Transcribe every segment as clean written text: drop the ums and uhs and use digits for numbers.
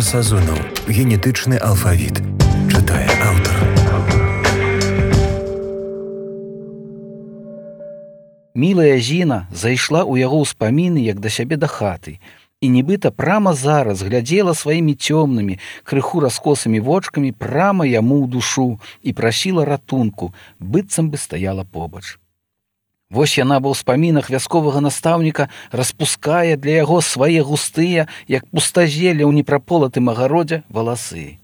Сазонаў. Генетычны алфавіт. Чытае аўтар. Мілая Зіна зайшла ў яго ўспаміны, як да сябе да хаты, і нібыта прама зараз глядзела сваімі цёмнымі, крыху раскосымі вочкамі прама яму ў душу і прасіла ратунку, быццам бы стаяла побач. Вось яна ва ўспамінах вясковага настаўніка распускае для яго свае густыя, як пустазелле ў непраполатым агародзе, валасы.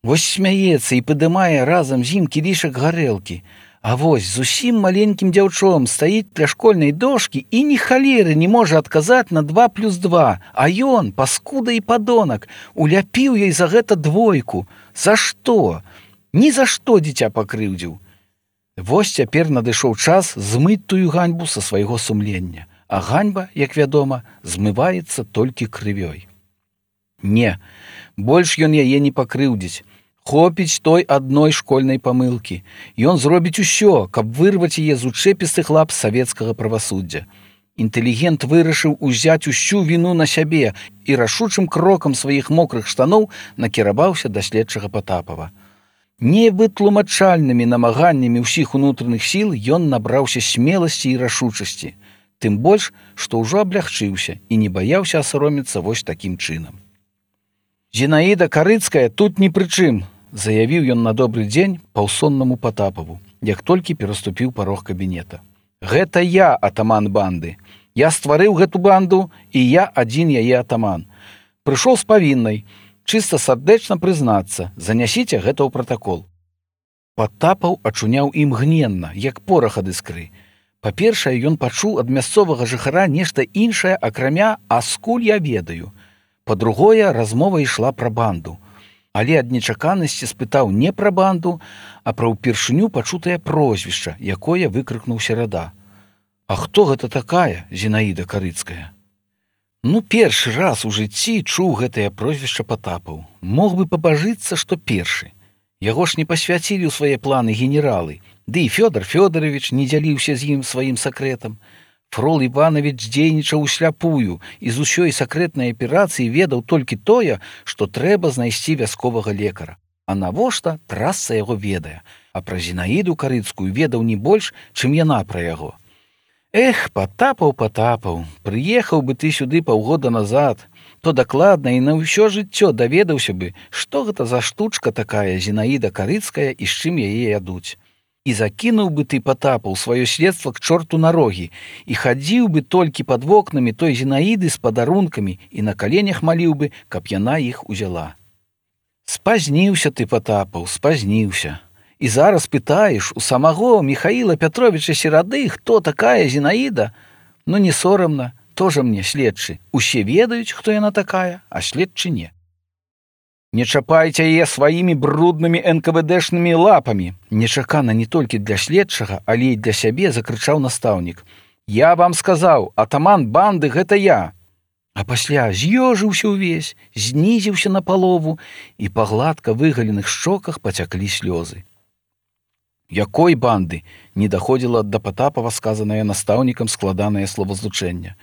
Вось смяецца і падымае разам з ім кілішак гарэлкі, а вось зусім маленькім дзяўчом стаіць ля школьнай дошкі і ні халеры не можа адказаць на 2+2, а ён, паскуда і падонак, уляпіў ёй за гэта 2. За што? Ні за што дзіця пакрыўдзіў. Вось цяпер надышоў час змыць тую ганьбу са свайго сумлення, а ганьба, як вядома, змываецца толькі крывёй. Не, больш ён яе не пакрыўдзіць. Хопіць той адной школьнай памылкі. Ён зробіць усё, каб вырваць яе з учэпістых лап савецкага правасуддзя. Інтэлігент вырашыў узяць усю віну на сябе і рашучым крокам сваіх мокрых штаноў накіраваўся да следчага Патапава. Невытлумачальнымі намаганнямі ўсіх унутраных сіл ён набраўся смеласці і рашучасці, тым больш, што ўжо аблягчыўся і не баяўся асароміцца вось такім чынам. «Зінаіда Карыцкая тут ні пры чым», заявіў ён на добры дзень паўсоннаму Патапаву, як толькі пераступіў парог кабінета. «Гэта я атаман банды. Я стварыў гэту банду, і я адзін яе атаман. Прыйшоў з павіннай, чыста сардэчна прызнацца, занясіце гэта ў пратакол». Патапаў ачуняў імгненна, як порах ад іскры. Па-першае, ён пачуў ад мясцовага жыхара нешта іншае, акрамя «а скуль я ведаю». Па-другое, размова ішла пра банду. Але ад нечаканасці спытаў не пра банду, а пра ўпершыню пачутае прозвішча, якое выкрыкнуў серада. «А хто гэта такая, Зінаіда Карыцкая?» Першы раз у жыцці чуў гэтае прозвішча Патапаў. Мог бы пабажыцца, што першы. Яго ж не пасвяцілі ў свае планы генералы, ды і Фёдор Фёдорович не дзяліўся з ім сваім сакрэтам. Фрол Іванович дзейнічаў усляпую і з усёй сакрэтнай аперацыі ведаў толькі тое, што трэба знайсці вясковага лекара. А навошта, трасца яго ведае, а пра Зінаіду Карыцкую ведаў не больш, чым яна пра яго. Эх, Патапаў, прыехаў бы ты сюды паўгода назад, то дакладна і на ўсё жыццё даведаўся бы, што гэта за штучка такая Зінаіда Карыцкая і з чым яе ядуць. І закінуў бы ты, Патапаў, сваё следства к чорту на рогі і хадзіў бы толькі пад вокнамі той Зінаіды з падарункамі і на каленях маліў бы, каб яна іх узяла. Спазніўся ты, Патапаў, спазніўся. І зараз пытаеш у самого Михаила Пятровича Серады, хто такая Зінаіда? Не сорамна, тоже мне следчы. Усе ведаюць, хто яна такая, а следчы не. «Не чапайце яе сваімі бруднымі НКВДшнымі лапамі!» Нечакана не толькі для следчага, але і для сябе закрычаў настаўнік. «Я вам сказаў, атаман банды гэта я!» А пасля з'ёжыўся ўвесь, знізіўся на палову, і па гладка выгаленых шчоках пацяклі слёзы. «Якой банды?» не даходзіла да Патапава сказанае настаўнікам складанае словазлучэнне.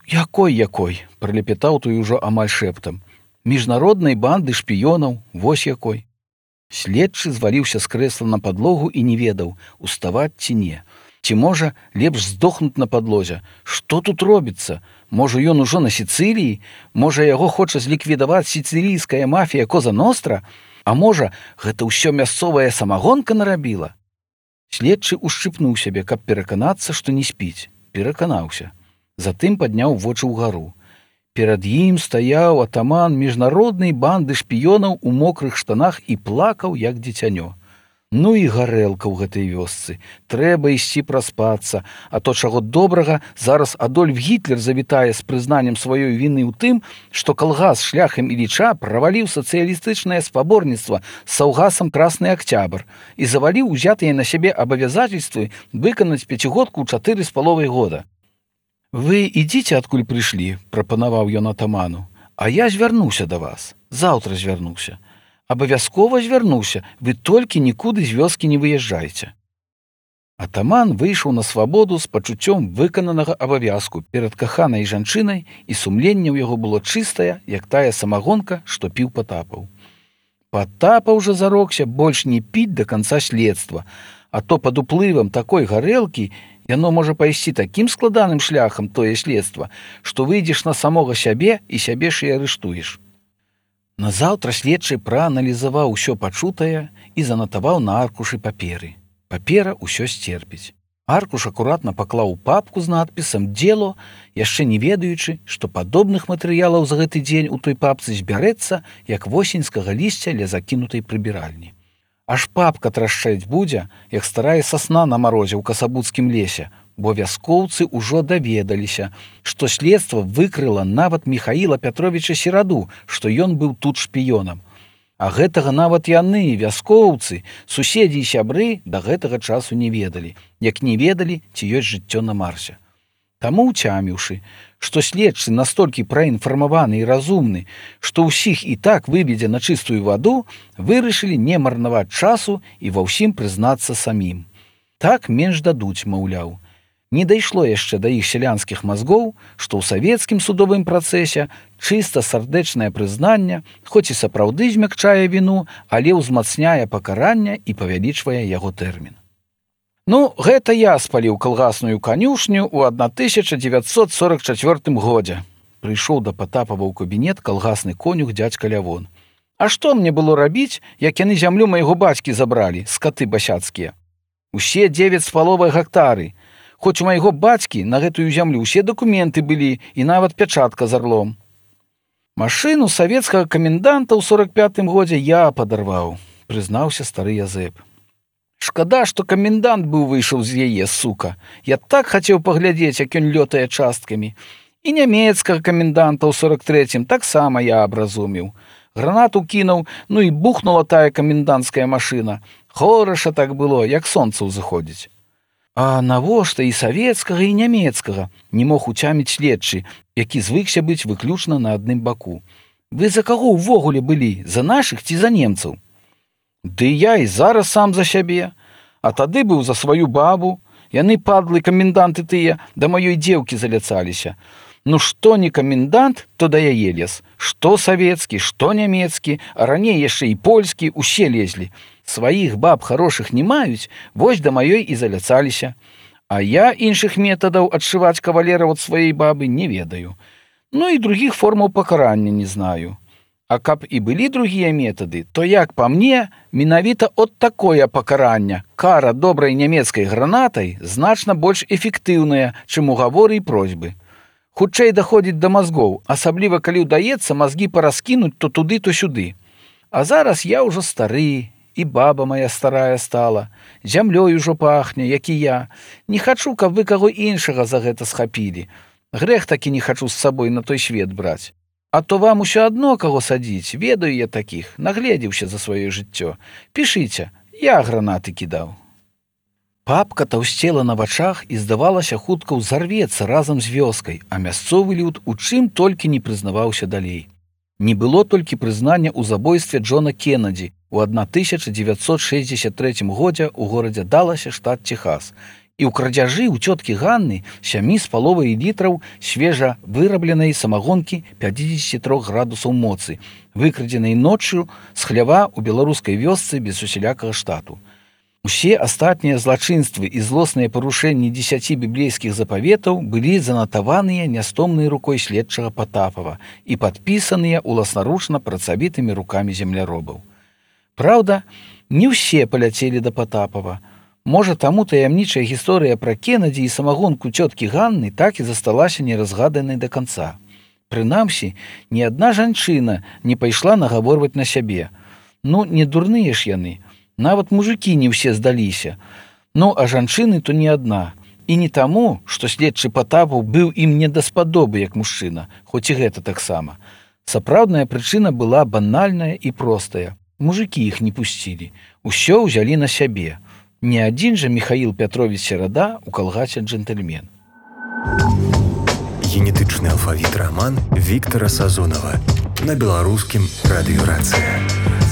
«Якой?» пралепетаў той ужо амаль шэптам. «Міжнароднай банды шпіёнаў, вось якой». Следчы зваліўся з крэсла на падлогу і не ведаў, уставаць ці не. Ці можа, лепш здохнуць на падлозе? Што тут робіцца? Можа, ён ужо на Сіцыліі? Можа, яго хоча зліквідаваць сіцылійская мафія Коза Ностра? А можа, гэта ўсё мясцовая самагонка нарабіла? Следчы ушчыпнуў сябе, каб пераканацца, што не спіць. Пераканаўся. Затым падняў вочы ўгару. Перад ім стаяў атаман міжнароднай банды шпіёнаў у мокрых штанах і плакаў, як дзіцянё. І гарэлка ў гэтай вёсцы. Трэба ісці праспацца, а то чаго добрага, зараз Адольф Гітлер завітае з прызнаннем сваёй віны ў тым, што калгас шляхам Іліча праваліў сацыялістычнае спаборніцтва з саўгасам Красны Акцябр і заваліў узятыя на сябе абавязательствы выканаць 5-годку ў 4,5 года. «Вы ідзіце, адкуль прыйшлі», – прапанаваў ён атаману, «а я звярнуся да вас, заўтра звярнуся. Абавязкова звярнуся, вы толькі нікуды з вёскі не выязджайце». Атаман выйшаў на свабоду з пачуццём выкананага абавязку перад каханай жанчынай, і сумленне ў яго было чыстае, як тая самагонка, што піў Патапаў. Патапаў жа зарокся больш не піць да канца следства, а то пад уплывам такой гарэлкі яно можа пайсці такім складаным шляхам тое следства, што выйдзеш на самога сябе і сябе ж і арыштуеш. Назаўтра следчы прааналізаваў усё пачутае і занатаваў на аркушы паперы. Папера ўсё сцерпіць. Аркуш акуратна паклаў у папку з надпісам «Дзело», яшчэ не ведаючы, што падобных матэрыялаў за гэты дзень у той папцы збярэцца, як восеньскага лісця ля закінутай прыбіральні. Аж папка трашчаць будзе, як старая сасна на марозе ў касабуцкім лесе, бо вяскоўцы ўжо даведаліся, што следства выкрыла нават Міхаіла Пятровіча Сераду, што ён быў тут шпіёнам. А гэтага нават яны, вяскоўцы, суседзі і сябры, да гэтага часу не ведалі, як не ведалі, ці ёсць жыццё на Марсе. Таму, уцяміўшы, што следчы настолькі праінфармаваны і разумны, што ўсіх і так выведзе на чыстую ваду, вырашылі не марнаваць часу і ва ўсім прызнацца самім. Так менш дадуць, маўляў. Не дайшло яшчэ да іх сялянскіх мазгоў, што ў савецкім судовым працэсе чыста сардэчнае прызнанне, хоць і сапраўды змякчае віну, але ўзмацняе пакаранне і павялічвае яго тэрмін. Ну, гэта я спаліў калгасную канюшню ў 1944 годзе. Прыйшоў да Патапава ў кабінет калгасны конюх дзядзька Лявон. А што мне было рабіць, як яны зямлю майго бацькі забралі, скаты басяцкія? Усе 9,5 гектары. Хоць у майго бацькі на гэтую зямлю ўсе дакументы былі і нават пячатка з арлом. Машыну савецкага каменданта ў 45-м годзе я падарваў, прызнаўся стары Язэп. Шкада, што камендант быў выйшаў з яе, сука. Я так хацеў паглядзець, як ён лётае часткамі. І нямецкага каменданта ў 43-м таксама я абразумеў. Гранату кінуў, ну і бухнула тая каменданцкая машына. Хораша так было, як сонца ўзыходзіць. А навошта і савецкага, і нямецкага не мог уцяміць следчы, які звыкся быць выключна на адным баку. Вы за каго ўвогуле былі, за нашых ці за немцаў? Ды я і зараз сам за сябе, а тады быў за сваю бабу. Яны, падлы каменданты тыя, да маёй дзеўкі заляцаліся. Ну што не камендант, то да яе лез. Што савецкі, што нямецкі, а раней яшчэ і польскі, усе лезлі. Сваіх баб хорошых не маюць, вось да маёй і заляцаліся. А я іншых метадаў адшываць кавалера ад сваёй бабы не ведаю. Ну і другіх формаў пакарання не знаю. А каб і былі другія метады, то, як па мне, менавіта от такое пакаранне, кара добрай нямецкай гранатай, значна больш эфектыўная, чым угаворы і просьбы. Хутчэй даходзіць да мазгоў, асабліва калі ўдаецца мазгі параскінуць то туды, то сюды. А зараз я ўжо стары, і баба моя старая стала, зямлёй ужо пахне, як і я. Не хачу, каб вы каго іншага за гэта схапілі. Грэх такі не хачу з сабой на той свет браць. А то вам усё адно каго садзіць, ведаю я такіх, нагледзеўся за сваё жыццё. Пішыце, я гранаты кідаў. Папка таўсцела на вачах і, здавалася, хутка ўзарвецца разам з вёскай, а мясцовы люд у чым толькі не прызнаваўся далей. Не было толькі прызнання ў забойстве Джона Кеннеді ў 1963 годзе ў горадзе Даласе, штат Техас, і ў крадзяжы ў цёткі Ганны 7,5 літраў свежа вырабленай самагонкі 53 градусаў моцы, выкрадзенай ноччу з хлява ў беларускай вёсцы без усялякага штату. Усе астатнія злачынствы і злосныя парушэнні 10 біблейскіх запаветаў былі занатаваныя нястомнай рукой следчага Патапава і падпісаныя уласнаручна працавітымі рукамі земляробаў. Праўда, не ўсе паляцелі да Патапава. Можа, таму таямнічая гісторыя пра Кеннеді і самагонку цёткі Ганны так і засталася неразгаданай да канца. Прынамсі, ні адна жанчына не пайшла нагаворваць на сябе. Ну, не дурныя ж яны. Нават мужыкі не ўсе здаліся. Ну, а жанчыны то не адна. І не таму, што следчы Патапаў быў ім не даспадобы як мужчына, хоць і гэта таксама. Сапраўдная прычына была банальная і простая. Мужыкі іх не пусцілі. Усё ўзялі на сябе. Не адзін жа Міхаіл Пятровіч Серада ў калгасе джентльмен. Генетычны алфавіт раман Віктара Сазонава на беларускім радыёрацыі.